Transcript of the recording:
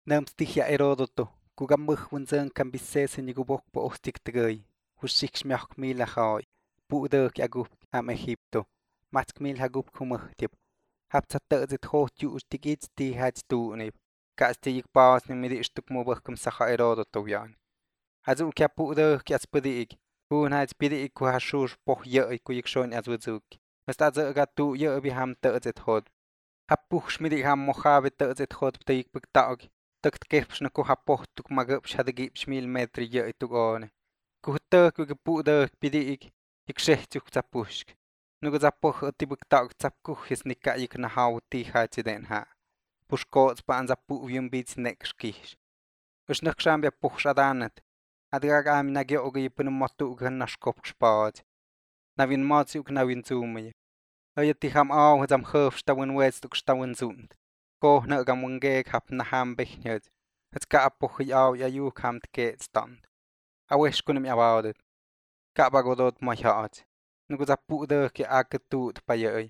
Nam stihia Heródoto, kugambuh wunzang cambises ni gubok po ostik tegay, hushik miach mil ahoy, puder agup am Egipto, matk mil hagup kumuhtib, hab zit hot ju ustigit ti hats tu nib, kastig paas ni midistuk mubahkum saha Heródoto yan. Azu kya puder kya spadig, hun hats pidig ku hashur poh ye ku yikshon azuzuk. Basta zaga tu ye bi ham zit hot. Hab puh schmidig ham mojabe zit hot pteik buktaog. Takt keps na ku hapoh tuk magap shadagip shmil metri ye tuk one. Ku tuk ku puder pidig yikshehtuk zapushk. Nugu zapoh ati buktaog zapkuh is nika yik na hau ti hats den ha. Pushkots pa an zapu yum bits nekskish. Usnakshambia puh shadanet. Adrag am nagyo ogi pun motu gan nashkop spad. Navin matsiuk navin zumye. Ayati ham au zam khuf stawin west tuk stawin zund. Ko na gam wangeg hap na ham bechnyed. Het ka apoch au ya yu kam tke stand. Awesh kunim about it. Ka bagodot ma haat. Nugu zapu de ke aketut pa ye.